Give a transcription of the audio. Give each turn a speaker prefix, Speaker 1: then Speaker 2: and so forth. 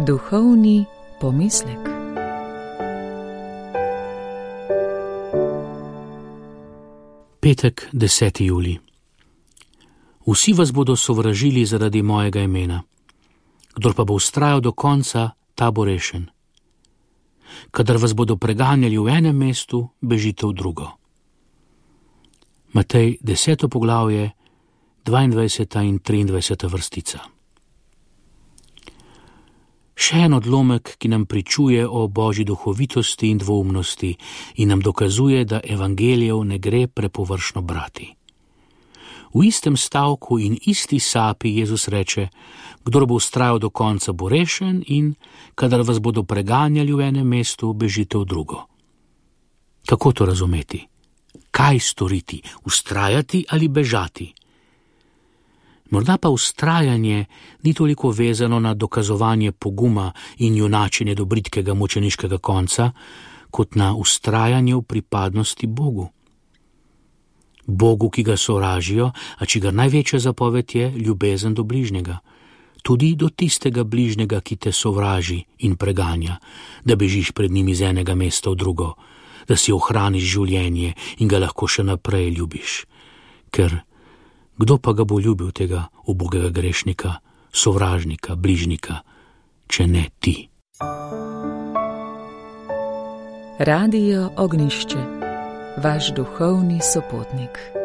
Speaker 1: Duhovni pomislek.
Speaker 2: Petek, 10. julij. Vsi vas bodo sovražili zaradi mojega imena. Kdor pa bo vztrajal do konca, ta bo rešen. Kadar vas bodo preganjali v enem mestu, bežite v drugo. Matej, 10. poglavje, 22. in 23. vrstica. Še en odlomek, ki nam pričuje o božji duhovitosti in dvoumnosti in nam dokazuje, da evangelijev ne gre prepovršno brati. V istem stavku in isti sapi Jezus reče: kdor bo vztrajal do konca, bo rešen, in kadar vas bodo preganjali v enem mestu, bežite v drugo. Kako to razumeti? Kaj storiti? Vztrajati ali bežati? Morda pa vztrajanje ni toliko vezano na dokazovanje poguma in junačenje do bridkega mučeniškega konca, kot na vztrajanje v pripadnosti Bogu. Bogu, ki ga sovražijo, a čigar največja zapoved je ljubezen do bližnjega. Tudi do tistega bližnjega, ki te sovraži in preganja, da bežiš pred njim iz enega mesta v drugo, da si ohraniš življenje in ga lahko še naprej ljubiš. Ker kdo pa ga bo ljubil, tega ubogega grešnika, sovražnika, bližnika, če ne ti?
Speaker 1: Radio Ognjišče, vaš duhovni sopotnik.